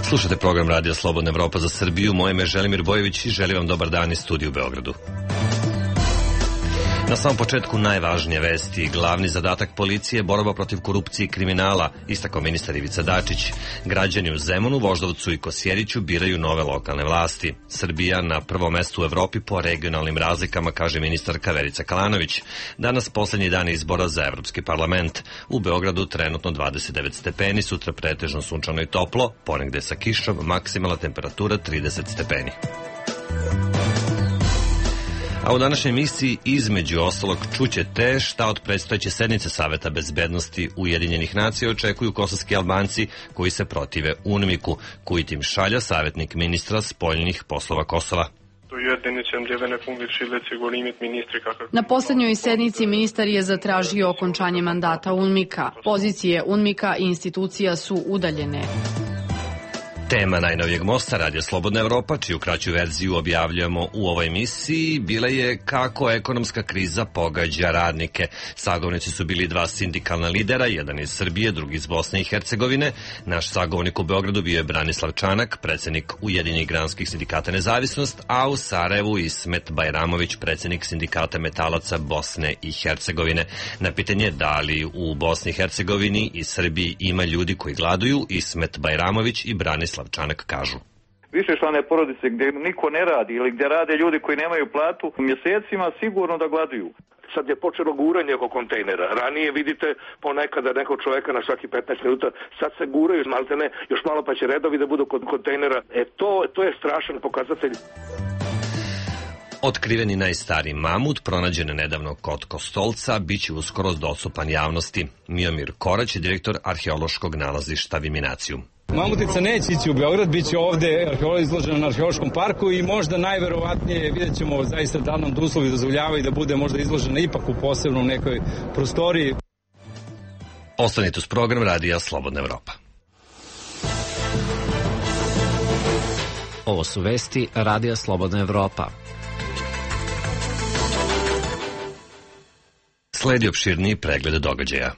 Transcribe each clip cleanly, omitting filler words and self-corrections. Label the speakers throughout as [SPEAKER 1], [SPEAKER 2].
[SPEAKER 1] Slušate program Radija Slobodna Evropa za Srbiju. Moje ime je Želimir Bojević i želim vam dobar dan iz studija u Beogradu. Na samom početku najvažnije vesti. Glavni zadatak policije je borba protiv korupcije i kriminala, istakao ministar Ivica Dačić. Građani u Zemunu, Voždovcu i Kosjeriću biraju nove lokalne vlasti. Srbija na prvom mestu u Evropi po regionalnim razlikama, kaže ministarka Verica Kalanović. Danas poslednji dan izbora za Evropski parlament. U Beogradu trenutno 29 stepeni, sutra pretežno sunčano i toplo, ponegde sa kišom, maksimalna temperatura 30 stepeni. A u današnjoj emisiji između ostalog čućete šta od predstojeće sednice Saveta bezbednosti Ujedinjenih nacija očekuju kosovski Albanci koji se protive UNMIK-u, koji tim šalja savjetnik ministra spoljnih poslova Kosova.
[SPEAKER 2] Na poslednjoj sednici ministar je zatražio okončanje mandata UNMIK-a. Pozicije UNMIK-a i institucija su udaljene.
[SPEAKER 1] Tema najnovijeg mosta Radija Slobodna Evropa, čiju kraću verziju objavljamo u ovoj emisiji, bila je kako ekonomska kriza pogađa radnike. Sagovornici su bili dva sindikalna lidera, jedan iz Srbije, drugi iz Bosne i Hercegovine. Naš sagovornik u Beogradu bio je Branislav Čanak, predsednik Ujedinjenih granskih sindikata Nezavisnost, a u Sarajevu Ismet Bajramović, predsednik sindikata metalaca Bosne i Hercegovine. Na pitanje da li u Bosni i Hercegovini i Srbiji ima ljudi koji gladuju, Ismet Bajramović i Branislav Čanak kažu.
[SPEAKER 3] Višečlane porodice gdje niko ne radi ili gdje rade ljudi koji nemaju platu mjesecima sigurno da gladuju.
[SPEAKER 4] Sad je počelo guranje oko kontejnera. Ranije vidite ponekada nekog čovjeka na svaki 15 minuta, sad se guraju maltene, još malo pa će redovi da budu kod kontejnera. To je strašan pokazatelj.
[SPEAKER 1] Otkriveni najstariji mamut, pronađen nedavno kod Kostolca, bit će uskoro dostupan javnosti. Miomir Korać je direktor arheološkog nalazišta Viminacijum.
[SPEAKER 5] Mamutica neće ići u Beograd, bit će ovde izložena na arheološkom parku i možda najverovatnije vidjet ćemo zaista da nam uslovi dozvoljavaju da bude možda izložena ipak u posebnom nekoj prostoriji.
[SPEAKER 1] Ostanite uz program Radija Slobodna Evropa.
[SPEAKER 6] Ovo su vesti Radija Slobodna Evropa.
[SPEAKER 1] Sledi opširniji pregled događaja.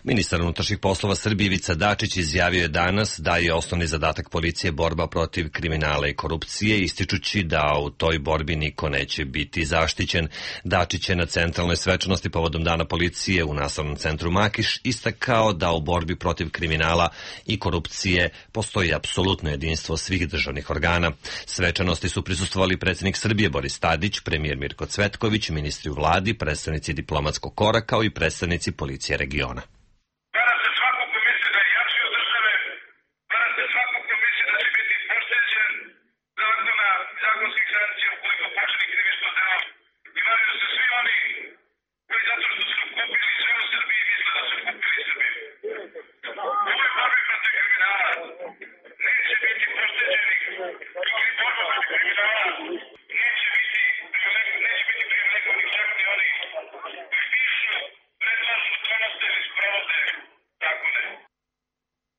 [SPEAKER 1] Ministar unutrašnjih poslova Srbije Ivica Dačić izjavio je danas da je osnovni zadatak policije borba protiv kriminala i korupcije, ističući da u toj borbi niko neće biti zaštićen. Dačić je na centralnoj svečanosti povodom Dana policije u Nastavnom centru Makiš istakao da u borbi protiv kriminala i korupcije postoji apsolutno jedinstvo svih državnih organa. Svečanosti su prisustvovali predsjednik Srbije Boris Tadić, premijer Mirko Cvetković, ministri u vladi, predstavnici diplomatskog kora kao i predstavnici policije regiona.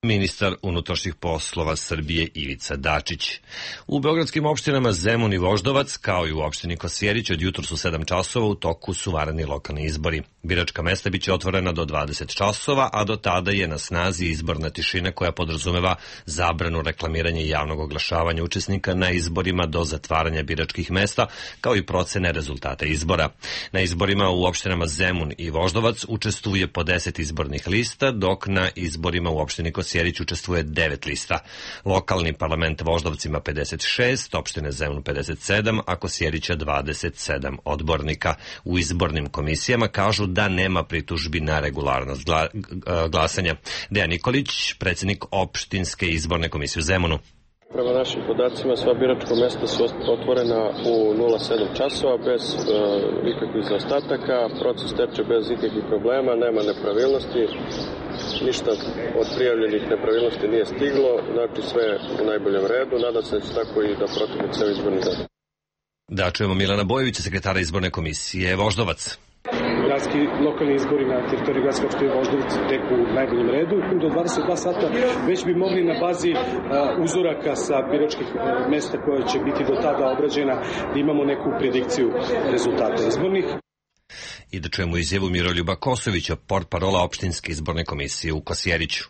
[SPEAKER 1] Ministar unutrašnjih poslova Srbije Ivica Dačić. U beogradskim opštinama Zemun i Voždovac, kao i u opštini Kosjerić, od jutros u 7 časova u toku su vanredni lokalni izbori. Biračka mesta biće otvorena do 20 časova, a do tada je na snazi izborna tišina koja podrazumeva zabranu reklamiranja i javnog oglašavanja učesnika na izborima do zatvaranja biračkih mesta, kao i procene rezultata izbora. Na izborima u opštinama Zemun i Voždovac učestvuje po 10 izbornih lista, dok na izborima u opštini Kosjerić učestvuje 9 lista. Lokalni parlament Voždovc ima 56, opštine Zemun 57, a Kosjerića 27 odbornika. U izbornim komisijama kažu da nema pritužbi na regularnost glasanja. Dejan Nikolić, predsjednik opštinske izborne komisije u Zemunu.
[SPEAKER 7] Prema našim podacima sva biračka mesta su otvorena u 07 časova bez ikakvih zaostataka, proces teče bez ikakvih problema, nema nepravilnosti, ništa od prijavljenih nepravilnosti nije stiglo, znači sve u najboljem redu, nadam se da će tako i da protekne ceo izborni dan.
[SPEAKER 1] Da čujemo Milana Bojevića, sekretara izborne komisije Voždovac.
[SPEAKER 8] gradski lokalni izbori na teritoriji gradske opštine Voždovac tek u najboljem redu. Do 22 sata već bi mogli na bazi uzoraka sa biračkih mesta koje će biti do tada obrađena da imamo neku predikciju rezultata izbornih.
[SPEAKER 1] I da čujemo izjavu Miroljuba Kosovića, portparola opštinske izborne komisije u Kosjeriću.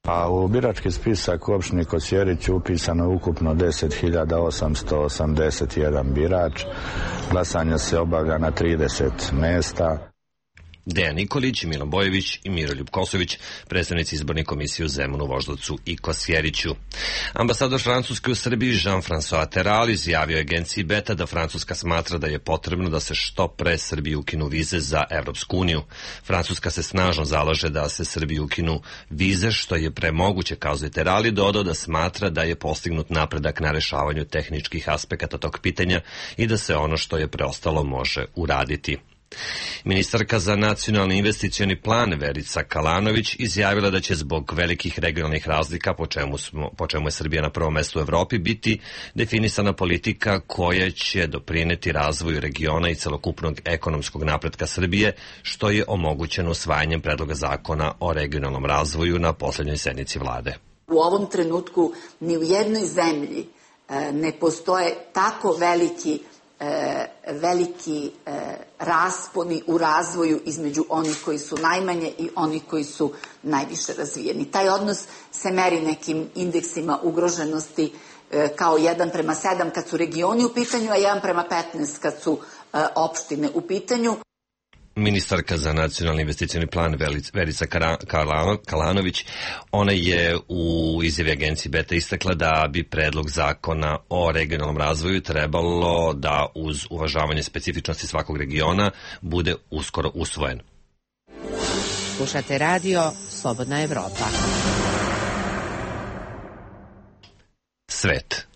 [SPEAKER 9] A u birački spisak u opštini Kosjerić upisano je ukupno 10.881 birač. Glasanje se obavlja na 30 mesta.
[SPEAKER 1] Dejan Nikolić, Milan Bojević i Miroljub Kosović, predstavnici izborne komisije u Zemunu, Voždovcu i Kosjeriću. Ambasador Francuske u Srbiji Jean-François Terral izjavio agenciji Beta da Francuska smatra da je potrebno da se što pre Srbiji ukinu vize za Evropsku uniju. Francuska se snažno zalaže da se Srbiji ukinu vize, što je premoguće, kazuje Terral, i dodao da smatra da je postignut napredak na rešavanju tehničkih aspekata tog pitanja i da se ono što je preostalo može uraditi. Ministarka za nacionalni investicioni plan Verica Kalanović izjavila da će zbog velikih regionalnih razlika, po čemu je Srbija na prvom mestu u Evropi, biti definisana politika koja će doprineti razvoju regiona i celokupnog ekonomskog napretka Srbije, što je omogućeno usvajanjem predloga zakona o regionalnom razvoju na poslednjoj sednici vlade.
[SPEAKER 10] U ovom trenutku ni u jednoj zemlji ne postoje tako veliki rasponi u razvoju između onih koji su najmanje i onih koji su najviše razvijeni. Taj odnos se meri nekim indeksima ugroženosti kao 1:7 kad su regioni u pitanju, a 1:15 kad su opštine u pitanju.
[SPEAKER 1] Ministarka za nacionalni investicioni plan Verica Kalanović, ona je u izjavi agencije Beta istakla da bi predlog zakona o regionalnom razvoju trebalo da uz uvažavanje specifičnosti svakog regiona bude uskoro usvojen.
[SPEAKER 11] Slušate radio Slobodna Evropa.
[SPEAKER 1] Svet.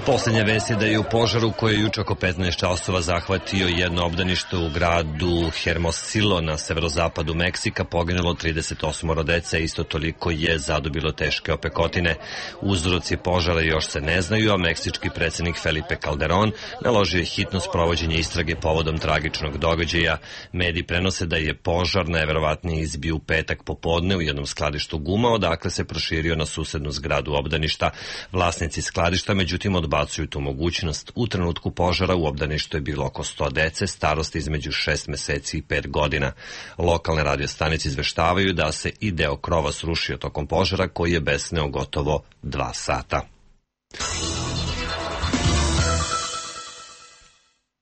[SPEAKER 1] Poslednja vest je da je u požaru koji je juče oko 15 časova zahvatio jedno obdanište u gradu Hermosillo na severozapadu Meksika poginulo 38 dece, isto toliko je zadobilo teške opekotine. Uzroci požara još se ne znaju, a meksički predsednik Felipe Calderón naložio je hitno sprovođenje istrage povodom tragičnog događaja. Mediji prenose da je požar najverovatnije izbio u petak popodne u jednom skladištu guma, odakle se proširio na susednu zgradu obdaništa. Vlasnici skladišta, međutim, odbacuju tu mogućnost. U trenutku požara u obdaništu je bilo oko 100 dece, starosti između 6 meseci i 5 godina. Lokalne radiostanice izveštavaju da se i deo krova srušio tokom požara koji je besneo gotovo 2 sata.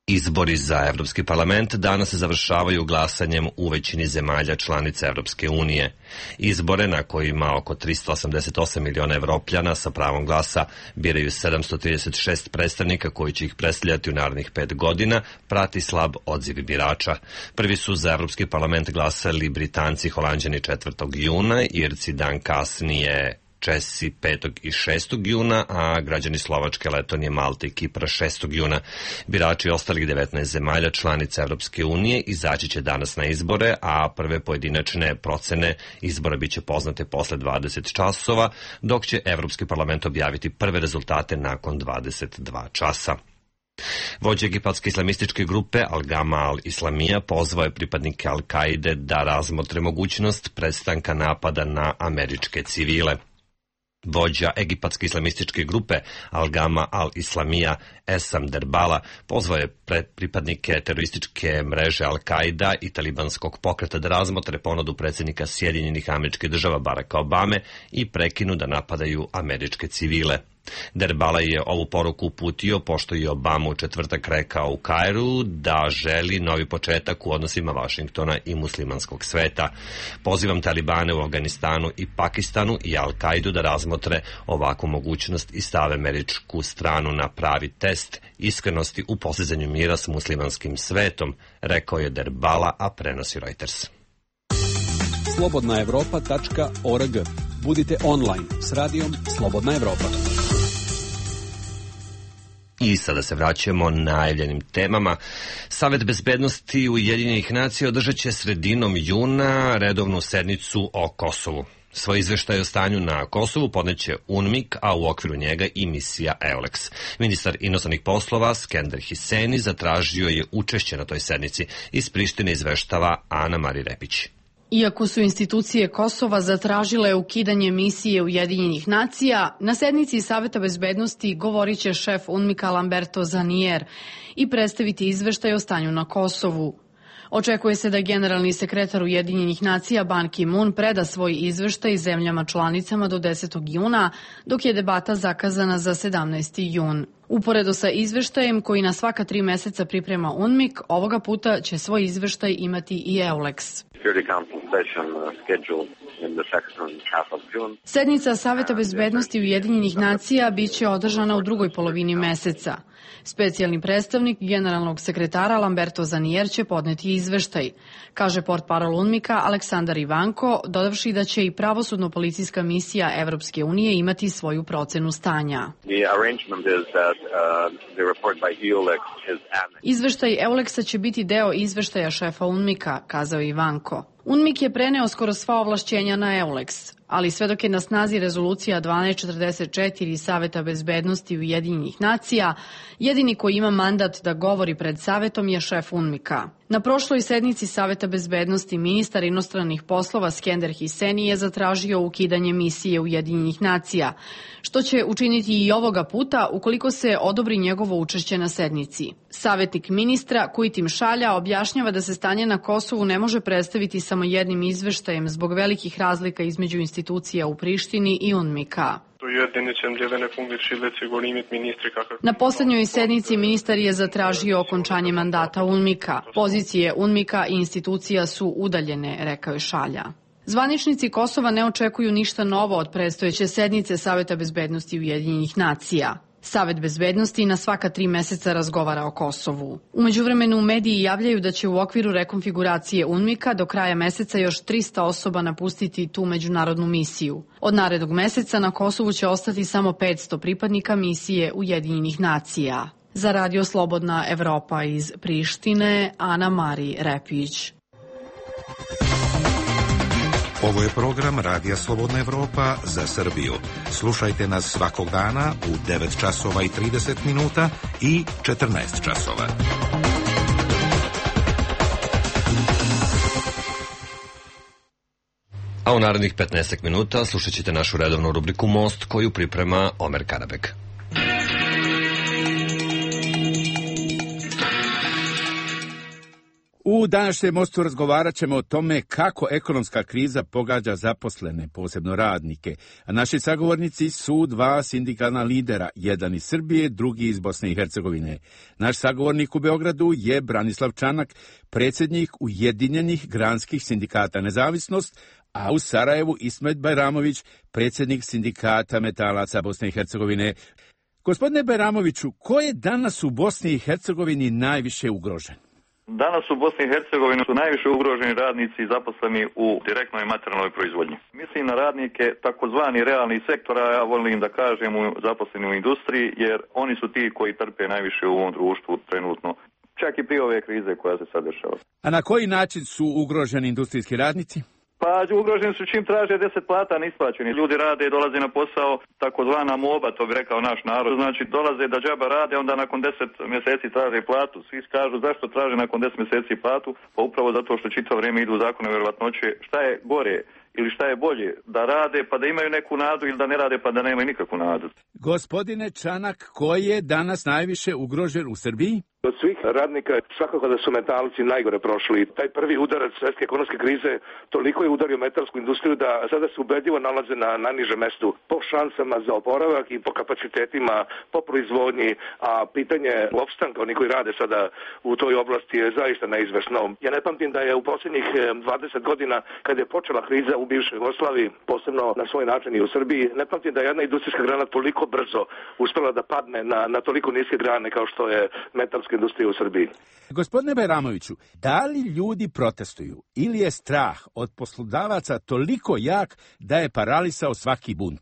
[SPEAKER 1] Izbori za Evropski parlament danas se završavaju glasanjem u većini zemalja članica Evropske unije. Izbore na kojima oko 388 miliona Evropljana sa pravom glasa biraju 736 predstavnika koji će ih predstavljati u narednih 5 godina, prati slab odziv birača. Prvi su za Evropski parlament glasali Britanci, Holanđani 4. juna, Irci dan kasnije, Česi 5. i 6. juna, a građani Slovačke, Letonije, Malte i Kipra 6. juna. Birači ostalih 19 zemalja članica Evropske unije izaći će danas na izbore, a prve pojedinačne procene izbora biće poznate posle 20 časova, dok će Evropski parlament objaviti prve rezultate nakon 22 časa. Vođa egipatske islamističke grupe Al-Gama al-Islamija pozvao je pripadnike Al-Kaide da razmotre mogućnost prestanka napada na američke civile. Vođa egipatske islamističke grupe Al-Gama al-Islamija Esam Derbala pozvao je pripadnike terorističke mreže Al-Kaida i talibanskog pokreta da razmotre ponudu predsjednika Sjedinjenih Američkih Država Baracka Obame i prekinu da napadaju američke civile. Derbala je ovu poruku uputio pošto je Obama u četvrtak rekao u Kairu da želi novi početak u odnosima Vašingtona i muslimanskog sveta. Pozivam talibane u Afganistanu i Pakistanu i Al-Kaidu da razmotre ovakvu mogućnost i stave američku stranu na pravi test iskrenosti u postizanju mira s muslimanskim svetom, rekao je Derbala, a prenosi Reuters. I sada se vraćamo najavljenim temama. Savet bezbednosti Ujedinjenih nacija održat će sredinom juna redovnu sednicu o Kosovu. Svoj izveštaj o stanju na Kosovu podneće UNMIK, a u okviru njega i misija EULEX. Ministar inostranih poslova Skender Hiseni zatražio je učešće na toj sednici. Iz Prištine izveštava Ana Mari Repić.
[SPEAKER 2] Iako su institucije Kosova zatražile ukidanje misije Ujedinjenih nacija, na sednici Saveta bezbednosti govorit će šef UNMIK-a Lamberto Zanier i predstaviti izveštaj o stanju na Kosovu. Očekuje se da generalni sekretar Ujedinjenih nacija Ban Ki-moon preda svoj izveštaj zemljama članicama do 10. juna, dok je debata zakazana za 17. jun. Uporedo sa izveštajem koji na svaka 3 meseca priprema UNMIK, ovoga puta će svoj izveštaj imati i EULEX. Sednica Saveta bezbednosti Ujedinjenih nacija biće održana u drugoj polovini meseca. Specijalni predstavnik generalnog sekretara Lamberto Zanier će podneti izveštaj, kaže portparol UNMIK-a Aleksandar Ivanko, dodavši da će i pravosudno-policijska misija Evropske unije imati svoju procenu stanja. Izveštaj EULEX-a će biti deo izveštaja šefa UNMIK-a, kazao Ivanko. UNMIK je preneo skoro sva ovlašćenja na EULEX, ali sve dok je na snazi rezolucija 1244 Saveta bezbednosti Ujedinjenih nacija, jedini koji ima mandat da govori pred Savetom je šef UNMIK-a. Na prošloj sednici Saveta bezbednosti ministar inostranih poslova Skender Hiseni je zatražio ukidanje misije Ujedinjenih nacija, što će učiniti i ovoga puta ukoliko se odobri njegovo učešće na sednici. Savetnik ministra Kujtim Šalja objašnjava da se stanje na Kosovu ne može predstaviti samo jednim izveštajem zbog velikih razlika između institucija u Prištini i UNMIK-a. Na poslednjoj sednici ministar je zatražio okončanje mandata UNMIK-a. Pozicije UNMIK-a i institucija su udaljene, rekao je Šalja. Zvaničnici Kosova ne očekuju ništa novo od predstojeće sednice Saveta bezbednosti Ujedinjenih nacija. Savet bezbednosti na svaka 3 meseca razgovara o Kosovu. U međuvremenu mediji javljaju da će u okviru rekonfiguracije UNMIK-a do kraja meseca još 300 osoba napustiti tu međunarodnu misiju. Od narednog meseca na Kosovu će ostati samo 500 pripadnika misije Ujedinjenih nacija. Za Radio Slobodna Evropa iz Prištine, Ana Mari Repić.
[SPEAKER 12] Ovo je program Radija Slobodna Evropa za Srbiju. Slušajte nas svakog dana u 9 časova i 30 minuta i 14 časova.
[SPEAKER 1] A u narednih 15 minuta slušat ćete našu redovnu rubriku Most koju priprema Omer Karabek.
[SPEAKER 13] U današnjem Mostu razgovarat ćemo o tome kako ekonomska kriza pogađa zaposlene, posebno radnike. A naši sagovornici su 2 sindikalna lidera, jedan iz Srbije, drugi iz Bosne i Hercegovine. Naš sagovornik u Beogradu je Branislav Čanak, predsjednik Ujedinjenih granskih sindikata Nezavisnost, a u Sarajevu Ismet Bajramović, predsjednik sindikata metalaca Bosne i Hercegovine. Gospodine Bajramoviću, ko je danas u Bosni i Hercegovini najviše ugrožen?
[SPEAKER 3] Danas u Bosni i Hercegovini su najviše ugroženi radnici zaposleni u direktnoj materijalnoj proizvodnji. Mislim na radnike takozvani realnih sektora, ja volim da kažem zaposleni u industriji, jer oni su ti koji trpe najviše u ovom društvu trenutno, čak i prije ove krize koja se sad dešava.
[SPEAKER 13] A na koji način su ugroženi industrijski radnici?
[SPEAKER 3] Pa ugroženi su čim traže 10 plata neisplaćeni. Ljudi rade i dolaze na posao, takozvana moba, to bi rekao naš narod. Znači dolaze da džaba rade, onda nakon 10 mjeseci traže platu. Svi kažu zašto traže nakon 10 mjeseci platu? Pa upravo zato što čitavo vrijeme idu zakone vjerovatnoće. Šta je gore ili šta je bolje? Da rade pa da imaju neku nadu ili da ne rade pa da nemaju nikakvu nadu.
[SPEAKER 13] Gospodine Čanak, ko je danas najviše ugrožen u Srbiji?
[SPEAKER 4] Od svih radnika svakako da su metalci najgore prošli. Taj prvi udarac svjetske ekonomske krize toliko je udario metalsku industriju da sada se ubedljivo nalaze na najnižem mestu po šansama za oporavak i po kapacitetima, po proizvodnji, a pitanje opstanka onih koji rade sada u toj oblasti je zaista neizvesno. Ja ne pamtim da je u posljednjih 20 godina kad je počela kriza u bivšoj Jugoslaviji, posebno na svoj način i u Srbiji, ne pamtim da je jedna industrijska grana toliko brzo uspela da padne na toliko niske grane kao što je metalska industrije u Srbiji.
[SPEAKER 13] Gospodine Bajramoviću, da li ljudi protestuju ili je strah od poslodavaca toliko jak da je paralisao svaki bunt?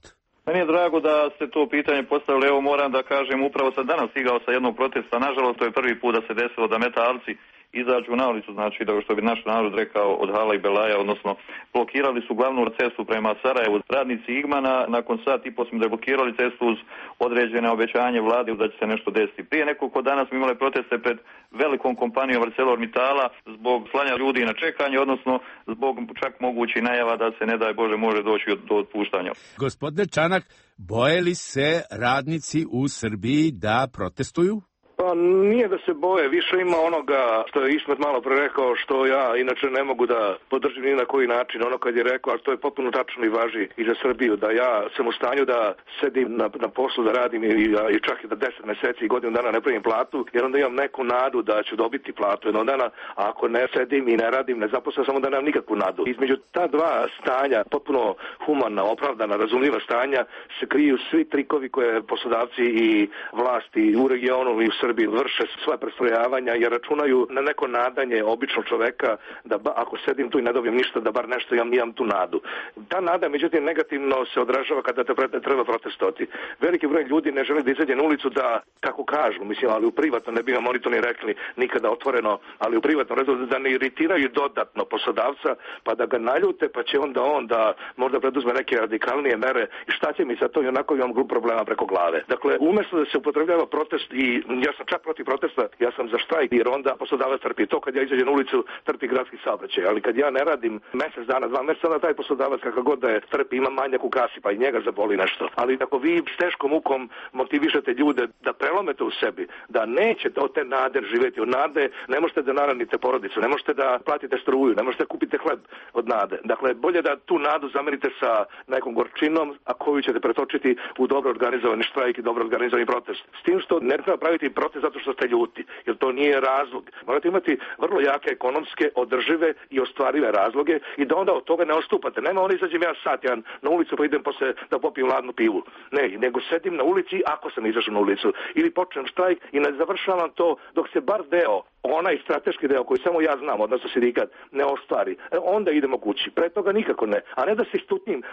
[SPEAKER 3] Meni je drago da ste to pitanje postavili. Evo moram da kažem, upravo sam danas stigao sa jednog protesta. Nažalost, to je prvi put da se desilo da metalci izađu na ulicu, znači da što bi naš narod rekao od hala i belaja, odnosno blokirali su glavnu cestu prema Sarajevu. Radnici Igmana nakon sat i po smo deblokirali cestu uz određene obećanje vlade da će se nešto desiti. Prije nekoliko dana smo imali proteste pred velikom kompanijom ArcelorMittala zbog slanja ljudi na čekanje, odnosno zbog čak mogućih najava da se ne daj Bože može doći do otpuštanja.
[SPEAKER 13] Gospodine Čanak, boje li se radnici u Srbiji da protestuju?
[SPEAKER 4] Pa nije da se boje, više ima onoga što je Ismet malo pre rekao, što ja inače ne mogu da podržim ni na koji način, ono kad je rekao, a to je potpuno tačno i važi i za Srbiju, da ja sam u stanju da sedim na poslu, da radim i čak i da 10 meseci i godinu dana ne primim platu, jer onda imam neku nadu da ću dobiti platu jednog dana, a ako ne sedim i ne radim, ne zaposlim, samo da nemam nikakvu nadu. Između ta dva stanja, potpuno humana, opravdana, razumljiva stanja, se kriju svi trikovi koje poslodavci i vlasti u regionu i u Srbiji vrše svoje prestrojavanja jer računaju na neko nadanje običnog čoveka da ako sedim tu i ne dobijem ništa da bar nešto imam tu nadu. Ta nada međutim negativno se odražava kada treba protestovati. Veliki broj ljudi ne želi da izađe na ulicu da, kako kažu, mislim, ali u privatno, ne bi vam oni to ni rekli nikada otvoreno, ali u privatno da ne iritiraju dodatno poslodavca pa da ga naljute pa će onda on da možda preduzme neke radikalnije mere i šta će mi sad to i onako imam grup problema preko glave. Dakle, umjesto da se upotrebljava protest i ja sam čak protiv protesta, ja sam za štrajk jer onda poslodavac trpi to kad ja izađem na ulicu trpi gradski saobraćaj, ali kad ja ne radim mesec dana, 2 meseca, onda taj poslodavac kakav god da je trpi ima manjak u kasi pa i njega zaboli nešto. Ali ako vi s teškom mukom motivišete ljude da prelomete u sebi, da nećete od te nade živjeti, od nade ne možete da naranite porodicu, ne možete da platite struju, ne možete da kupite hleb od nade. Dakle, bolje da tu nadu zamerite sa nekom gorčinom, a koju ćete pretočiti u dobro organizovani štrajk i dobro organizovani protest. S tim što ne treba praviti protest zato što ste ljuti, jer to nije razlog. Morate imati vrlo jake ekonomske, održive i ostvarive razloge i da onda od toga ne odstupate. Nema oni izađem ja sat jedan na ulicu pa idem posle da popijem ladnu pivu. Ne, nego sedim na ulici ako sam izašao na ulicu ili počnem štrajk i ne završavam to dok se bar deo, onaj strateški deo koji samo ja znam, odnosno sindikat, ne ostvari. Onda idemo kući. Pre toga nikako ne. A ne da se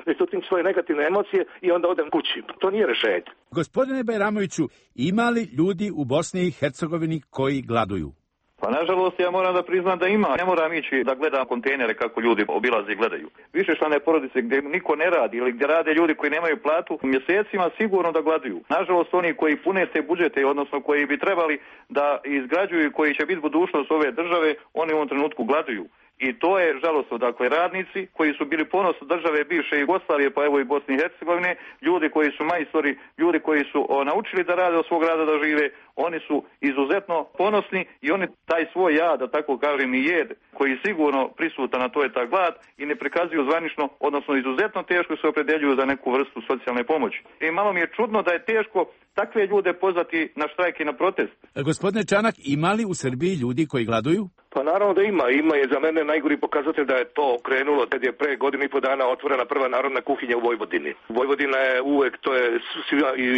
[SPEAKER 4] istutnim svoje negativne emocije i onda odem kući. To nije rešenje.
[SPEAKER 13] Gospodine Bajramoviću, ima li ljudi u Bosni i Hercegovini koji gladuju?
[SPEAKER 3] Pa nažalost ja moram da priznam da ima. Ne moram ići da gledam kontejnere kako ljudi obilaze i gledaju. Višečlane porodice gdje niko ne radi ili gdje rade ljudi koji nemaju platu mjesecima sigurno da gladuju. Nažalost oni koji pune te budžete, odnosno koji bi trebali da izgrađuju, koji će biti budućnost ove države, oni u ovom trenutku gladuju. I to je žalostno, dakle, radnici koji su bili ponos države bivše Jugoslavije, pa evo i Bosne i Hercegovine, ljudi koji su majstori, ljudi koji su naučili da rade od svog rada da žive, oni su izuzetno ponosni i oni taj svoj jad, da tako kažem, i jed, koji je sigurno prisutan, a to je ta glad, i ne prikazuju zvanično, odnosno izuzetno teško se opredeljuju za neku vrstu socijalne pomoći. I malo mi je čudno da je teško takve ljude pozvati na štrajk i na protest.
[SPEAKER 13] Gospodine Čanak, ima li u Srbiji ljudi koji gladuju?
[SPEAKER 4] Pa naravno da ima. Ima je za mene najgori pokazatelj da je to krenulo kad je pre godinu i po dana otvorena prva narodna kuhinja u Vojvodini. Vojvodina je uvek, to je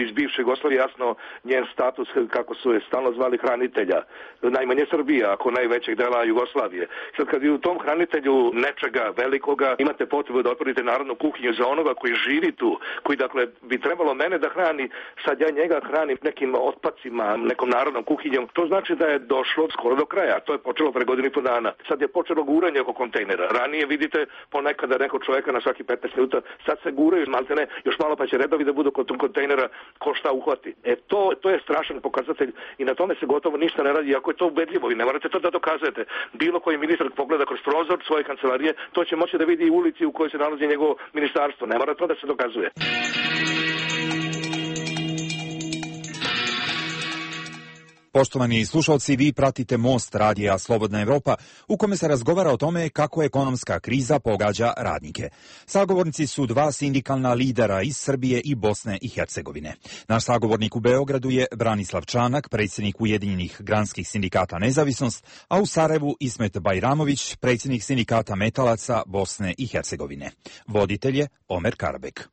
[SPEAKER 4] iz bivše Jugoslavije jasno njen status, kako su je stalno zvali hranitelja. Najmanje Srbija, ako najvećeg dela Jugoslavije. Sad kad vi u tom hranitelju nečega velikoga imate potrebu da otvorite narodnu kuhinju za onoga koji živi tu, koji dakle bi trebalo mene da hrani, sad ja njega hranim nekim otpacima, nekom narodnom kuhinjom, to znači da je došlo skoro do kraja. To je počelo pre godinu i po dana. Sad je počelo guranje oko kontejnera. Ranije vidite ponekada neko čoveka na svaki 15 minuta, sad se guraju maltene, još malo pa će redovi da budu kod kontejnera ko šta uhvati. To je strašan pokazatelj i na tome se gotovo ništa ne radi, ako je to ubedljivo i ne morate to da dokazujete. Bilo koji ministar pogleda kroz prozor svoje kancelarije, to će moći da vidi i ulici u kojoj se nalazi njegovo ministarstvo. Ne mora to da se dokazuje.
[SPEAKER 14] Poštovani slušalci, vi pratite Most radija Slobodna Evropa, u kome se razgovara o tome kako ekonomska kriza pogađa radnike. Sagovornici su dva sindikalna lidera iz Srbije i Bosne i Hercegovine. Naš sagovornik u Beogradu je Branislav Čanak, predsjednik Ujedinjenih granskih sindikata Nezavisnost, a u Sarajevu Ismet Bajramović, predsjednik sindikata metalaca Bosne i Hercegovine. Voditelj je Omer Karabek.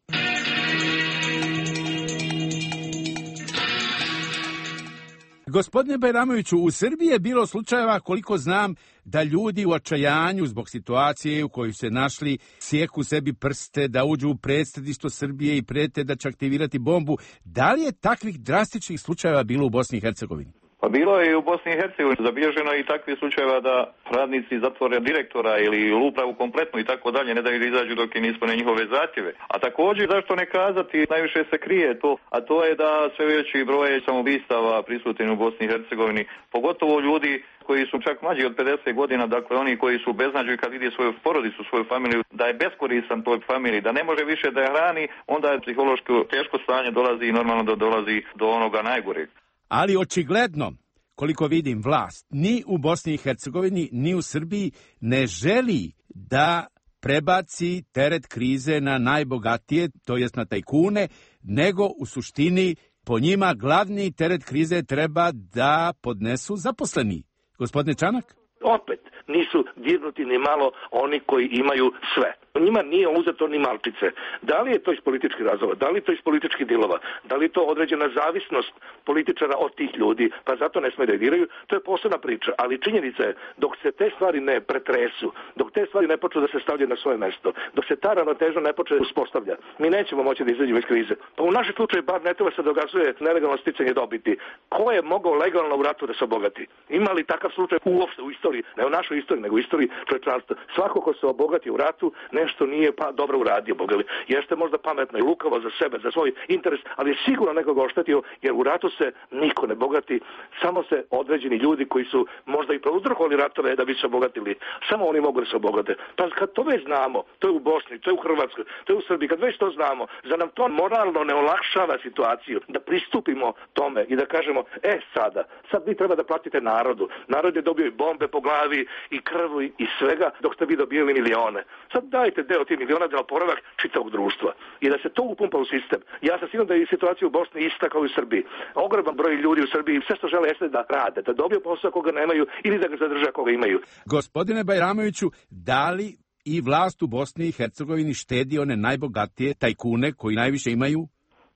[SPEAKER 13] Gospodine Bajramoviću, u Srbiji je bilo slučajeva, koliko znam, da ljudi u očajanju zbog situacije u kojoj se našli sjeku sebi prste, da uđu u predsjedništvo Srbije i prete da će aktivirati bombu. Da li je takvih drastičnih slučajeva bilo u Bosni i Hercegovini?
[SPEAKER 3] Pa bilo je i u Bosni i Hercegovini. Zabilježeno je i takvih slučajeva da radnici zatvore direktora ili upravu kompletnu i tako dalje, ne daju da izađu dok im ispune njihove zahtjeve. A također, zašto ne kazati, najviše se krije to, a to je da sve veći broj samoubistava prisutni u Bosni i Hercegovini, pogotovo ljudi koji su čak mlađi od 50 godina, dakle oni koji su beznađu kad vidi svoju porodicu, svoju familiju, da je beskoristan toj familiji, da ne može više da je hrani, onda je psihološko teško stanje dolazi i normalno da dolazi do onoga najgoreg.
[SPEAKER 13] Ali očigledno, koliko vidim, vlast ni u Bosni i Hercegovini, ni u Srbiji ne želi da prebaci teret krize na najbogatije, to jest na tajkune, nego u suštini po njima glavni teret krize treba da podnesu zaposleni. Gospodine Čanak?
[SPEAKER 4] Opet nisu dirnuti ni malo oni koji imaju sve. Njima nije uzeto ni malčice. Da li je to iz političkih razloga, da li je to iz političkih dilova, da li je to određena zavisnost političara od tih ljudi, pa zato ne smije da diraju, to je posebna priča. Ali činjenica je, dok se te stvari ne pretresu, dok te stvari ne počnu da se stavljaju na svoje mesto, dok se ta ravnoteža ne počne uspostavlja, mi nećemo moći da izađemo iz krize. Pa u našem slučaju bar ne treba se dokazuje nelegalno sticanje dobiti. Ko je mogao legalno u ratu da se obogati? Ima li takav slučaj uopšte u istoriji, ne u našoj istoriji, nego u istoriji čovječanstva? Svako ko se obogati u ratu, nešto nije pa dobro uradio, bogali. Jeste možda pametno i lukavo za sebe, za svoj interes, ali je sigurno nekoga oštetio, jer u ratu se niko ne bogati, samo se određeni ljudi koji su možda i prouzrokovali ratove da bi se obogatili, samo oni mogu da se obogate. Pa kad to već znamo, to je u Bosni, to je u Hrvatskoj, to je u Srbiji, kad već to znamo, za nam to moralno ne olakšava situaciju, da pristupimo tome i da kažemo, sad vi treba da platite narodu. Narod je dobio i bombe po glavi, i krvu, i svega, dok ste vi dobijeli milione. Sad dajte deo tih miliona za oporavak čitavog društva i da se to upumpa u sistem. Ja sam siguran da je situacija u Bosni ista kao i u Srbiji. Ogroman broj ljudi u Srbiji sve što žele jeste da rade, da dobiju posao koga nemaju ili da ga zadrže koga imaju.
[SPEAKER 13] Gospodine Bajramoviću, da li i vlast u Bosni i Hercegovini štedi one najbogatije tajkune koji najviše imaju?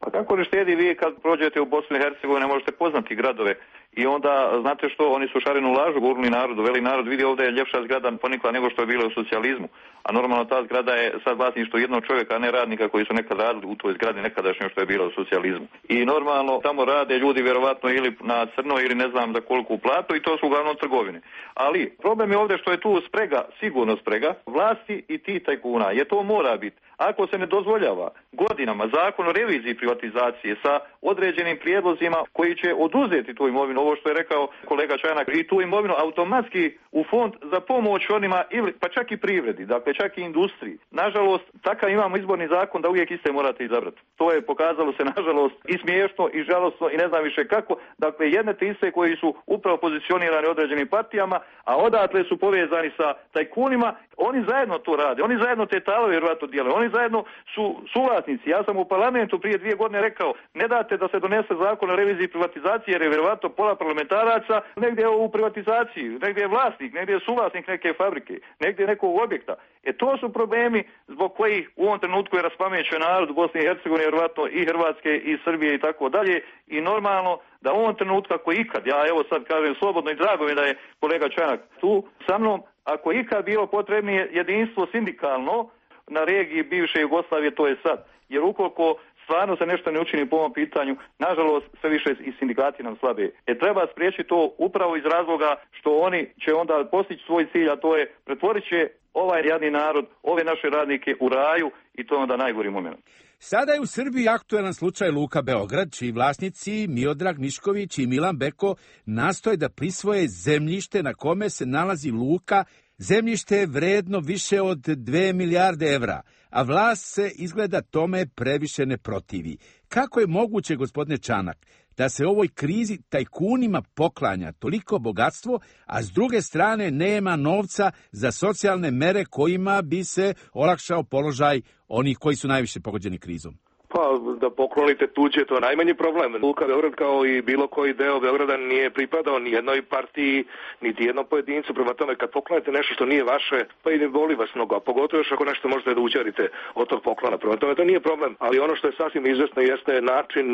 [SPEAKER 3] Pa kako ne štedi? Vi kad prođete u Bosnu i Hercegovini možete poznati gradove i onda, znate što, oni su šarenu lažu govorili narodu, veli narod vidi ovdje je ljepša zgrada ponikla nego što je bila u socijalizmu, a normalno ta zgrada je sad vlasništvo jednog čovjeka, a ne radnika koji su nekad radili u toj zgradi nekadašnje što je bila u socijalizmu. I normalno tamo rade ljudi vjerovatno ili na crno ili ne znam za koliko platu i to su uglavnom trgovine. Ali problem je ovdje što je tu sprega, sigurno sprega, vlasti i ti tajkuna, jer to mora biti. Ako se ne dozvoljava godinama zakon o reviziji privatizacije sa određenim prijedlozima koji će oduzeti tu imovinu, ovo što je rekao kolega Čanak, i tu imovinu automatski u fond za pomoć onima, ili pa čak i privredi, dakle čak i industriji. Nažalost, takav imamo izborni zakon da uvijek iste morate izabrati. To je pokazalo se nažalost i smiješno i žalosno i ne znam više kako. Dakle, jedne te iste koji su upravo pozicionirani određenim partijama, a odatle su povezani sa tajkunima, oni zajedno to rade, oni zajedno te talove vjerojatno dijele, oni zajedno su suvlasnici. Ja sam u parlamentu prije 2 godine rekao, ne date da se donese zakon o reviziji privatizacije jer je vjerojatno pola parlamentaraca negdje je u privatizaciji, negdje je vlasnik, negdje je suvlasnik neke fabrike, negdje je nekog objekta. To su problemi zbog kojih u ovom trenutku je raspamećen narod u Bosni i Hercegovini, vjerojatno i Hrvatske i Srbije i tako dalje, i normalno da u ovom trenutku ako ikad, ja evo sad kažem slobodno i drago mi da je kolega Čanak tu sa mnom, ako ikad bilo potrebnije jedinstvo sindikalno na regiji bivše Jugoslavije, to je sad. Jer ukoliko stvarno se nešto ne učini po ovom pitanju, nažalost sve više i sindikati nam slabe. Treba spriječiti to upravo iz razloga što oni će onda postići svoj cilj, a to je pretvorit će ovaj jadni narod, ove naše radnike u raju i to je onda najgori moment.
[SPEAKER 13] Sada je u Srbiji aktuelan slučaj Luka Beograd, čiji vlasnici Miodrag Mišković i Milan Beko nastoje da prisvoje zemljište na kome se nalazi luka. Zemljište je vredno više od 2 milijarde evra, a vlast se izgleda tome previše ne protivi. Kako je moguće, gospodine Čanak, da se ovoj krizi tajkunima poklanja toliko bogatstvo, a s druge strane nema novca za socijalne mere kojima bi se olakšao položaj onih koji su najviše pogođeni krizom?
[SPEAKER 3] Pa
[SPEAKER 4] da poklonite tuđe, to je najmanji problem. Luka Beograd kao i bilo koji deo Beograda nije pripadao ni jednoj partiji, niti jednom pojedincu. Prema tome, kad poklonite nešto što nije vaše, pa i ne boli vas mnogo, a pogotovo još ako nešto možete da uđarite od tog poklona. Prema tome, to nije problem, ali ono što je sasvim izvesno jeste način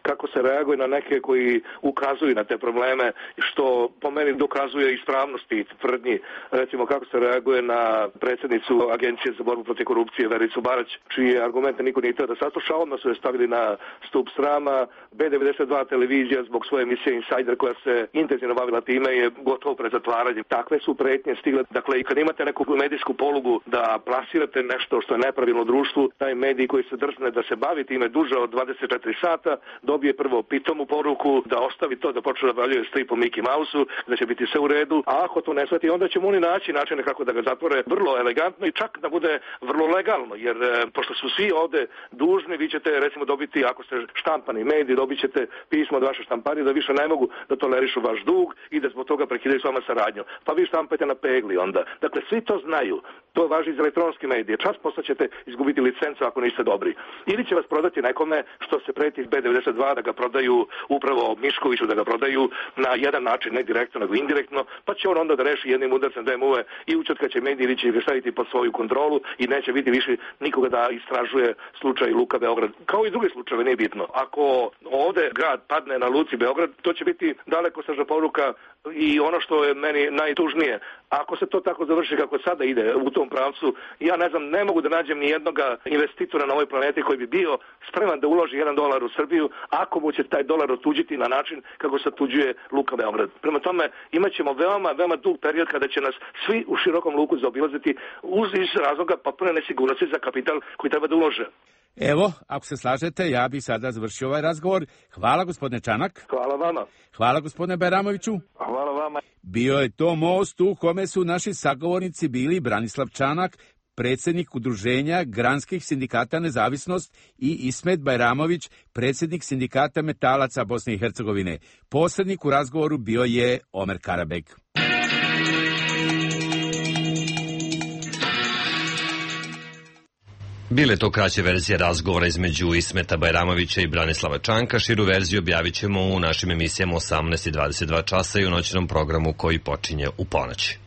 [SPEAKER 4] kako se reaguje na neke koji ukazuju na te probleme, što po meni dokazuje ispravnosti tvrdnji. Recimo, kako se reaguje na predsjednicu Agencije za borbu protiv korupcije Vericu Barać, čije argumente niko nije htio da sasluša, odmah su je stavili na stup srama. B92 televizija zbog svoje emisije Insider koja se intenzivno bavila time je gotovo pred zatvaranjem. Takve su pretnje stigle. Dakle, i kad imate neku medijsku polugu da plasirate nešto što je nepravilno u društvu, taj medij koji se drzne da se bavi time duže od 24 sata, dobije prvo pitomu poruku da ostavi to, da počne da bavljuje stripom Mickey Mouse-u, da će biti sve u redu, a ako to ne shvati, onda ćemo oni naći načine kako da ga zatvore vrlo elegantno i čak da bude vrlo legalno, jer pošto su svi ovde dužni, vi ćete recimo dobiti, ako ste štampani mediji, dobit ćete pismo od vaše štamparije da više ne mogu da tolerišu vaš dug i da zbog toga prekidaju s vama saradnju. Pa vi štampajte na pegli onda. Dakle, svi to znaju. To važi iz elektronske medije. Čas posle ćete izgubiti licencu ako niste dobri. Ili će vas prodati nekome što se preti iz B92 da ga prodaju upravo Miškoviću, da ga prodaju na jedan način, ne direktno, nego indirektno, pa će on onda da reši jednim udarcem DMU-e i učetkaće mediji ili će ga staviti pod svoju kontrolu i neće biti više nikoga da istražuje slučaj Luka Beograd. Kao i druge slučajeve, nije bitno. Ako ovde grad padne na Luci Beograd, to će biti dalekosežna poruka i ono što je meni najtužnije. Ako se to tako završi kako sada ide u tom pravcu, ja ne znam, ne mogu da nađem ni jednog investitora na ovoj planeti koji bi bio spreman da uloži $1 u Srbiju ako mu će taj dolar otuđiti na način kako se otuđuje Luka Beograd. Prema tome, imat ćemo veoma dug period kada će nas svi u širokom luku zaobilaziti iz razloga potpune nesigurnosti za kapital koji treba da ulože.
[SPEAKER 13] Evo, ako se slažete, ja bih sada završio ovaj razgovor. Hvala, gospodine Čanak.
[SPEAKER 4] Hvala vama.
[SPEAKER 13] Hvala, gospodine Bajramoviću.
[SPEAKER 4] Hvala vama.
[SPEAKER 13] Bio je to most u kome su naši sagovornici bili Branislav Čanak, predsjednik Udruženja Granskih sindikata Nezavisnost, i Ismet Bajramović, predsjednik sindikata metalaca Bosne i Hercegovine. Posrednik u razgovoru bio je Omer Karabek.
[SPEAKER 1] Bile to kraće verzije razgovora između Ismeta Bajramovića i Branislava Čanka. Širu verziju objavit ćemo u našim emisijama 18 i 22 časa i u noćnom programu koji počinje u ponoć.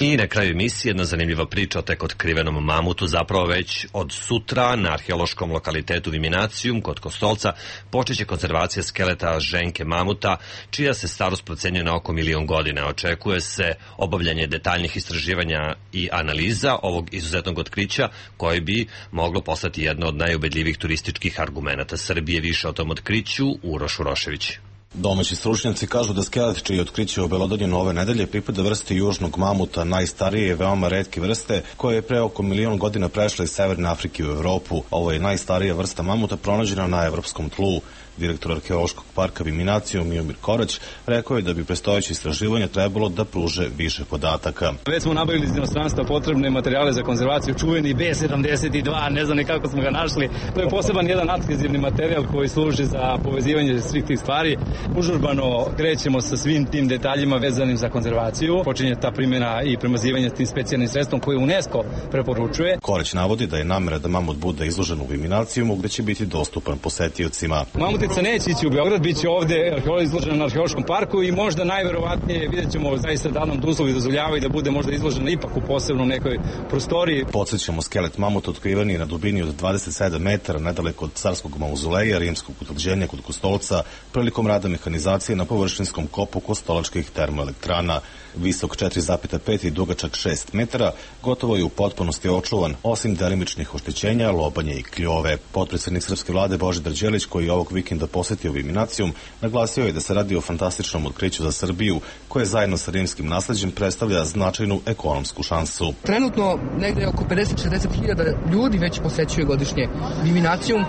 [SPEAKER 1] I na kraju emisije jedna zanimljiva priča o tek otkrivenom mamutu. Zapravo već od sutra na arheološkom lokalitetu Viminacijum kod Kostolca počeće konzervacija skeleta ženke mamuta, čija se starost procenjuje na oko 1.000.000 godina. Očekuje se obavljanje detaljnih istraživanja i analiza ovog izuzetnog otkrića, koje bi moglo postati jedno od najubedljivih turističkih argumenata Srbije. Više o tom otkriću Uroš Urošević.
[SPEAKER 15] Domaći stručnjaci kažu da skelet čije otkriće obelodanjeno ove nedelje pripada vrsti južnog mamuta, najstarije i veoma retke vrste, koja je pre oko 1.000.000 godina prešla iz Severne Afrike u Evropu. Ovo je najstarija vrsta mamuta pronađena na evropskom tlu. Direktor arheološkog parka Viminacijum Miomir Korać rekao je da bi predstojeće istraživanje trebalo da pruže više podataka.
[SPEAKER 5] Već smo nabavili iz inostranstva potrebne materijale za konzervaciju, čuveni B72, ne znam ni kako smo ga našli. To je poseban jedan adhezivni materijal koji služi za povezivanje svih tih stvari. Užurbano krećemo sa svim tim detaljima vezanim za konzervaciju. Počinje ta primjena i premazivanje tim specijalnim sredstvom koje UNESCO preporučuje.
[SPEAKER 15] Korać navodi da je namera da mamut bude izložen u Viminacijumu, gde će biti dostupan posetiocima.
[SPEAKER 5] Mamutica neće ići u Beograd, bit će ovde izložena na arheološkom parku i možda najverovatnije vidjet ćemo zaista da nam uslovi dozvoljavaju da bude možda izložena ipak u posebnom nekoj prostoriji.
[SPEAKER 15] Podsjećamo, skelet mamuta otkriven je na dubini od 27 metara nedaleko od carskog mauzoleja rimskog utvrđenja kod Kostolca prilikom rada mehanizacije na površinskom kopu kostolačkih termoelektrana. Visok 4,5 i dugačak 6 metara, gotovo je u potpunosti očuvan, osim delimičnih oštećenja, lobanje i kljove. Potpredsjednik srpske vlade Božidar Đelić, koji je ovog vikenda posetio Viminacijum, naglasio je da se radi o fantastičnom otkriću za Srbiju, koje zajedno sa rimskim nasleđem predstavlja značajnu ekonomsku šansu.
[SPEAKER 16] Trenutno negde oko 50-60 hiljada ljudi već posećuje godišnje Viminacijum.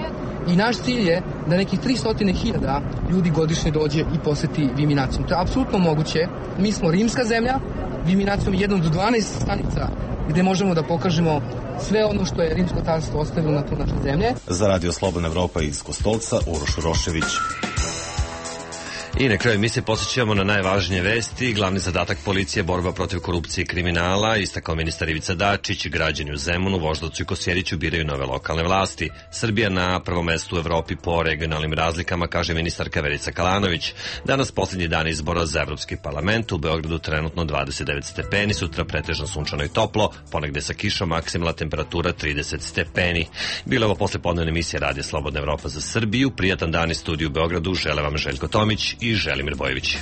[SPEAKER 16] I naš cilj je da nekih 300.000 ljudi godišnje dođe i poseti Viminacijum. To je apsolutno moguće. Mi smo rimska zemlja, Viminacijum je jedan od 12 stanica gde možemo da pokažemo sve ono što je rimsko carstvo ostavilo na tlu naše zemlje.
[SPEAKER 15] Za Radio Slobodna Evropa iz Kostolca, Uroš Urošević.
[SPEAKER 1] I na kraju emisije posjećujemo na najvažnije vesti. Glavni zadatak policije, borba protiv korupcije i kriminala, istakao ministar Ivica Dačić. Građani u Zemunu, Voždovcu i Kosjeriću biraju nove lokalne vlasti. Srbija na prvom mestu u Evropi po regionalnim razlikama, kaže ministarka Verica Kalanović. Danas posljednji dan izbora za Evropski parlament. U Beogradu trenutno 29 stepeni, sutra pretežno sunčano i toplo, ponegde sa kišom, maksimalna temperatura 30 stepeni. Bilo ovo poslepodnevna emisija Radija Slobodna Evropa za Srbiju. Prijatan dan iz studiju u Beogradu žele vam Željko Tomić i Želimir Bojević.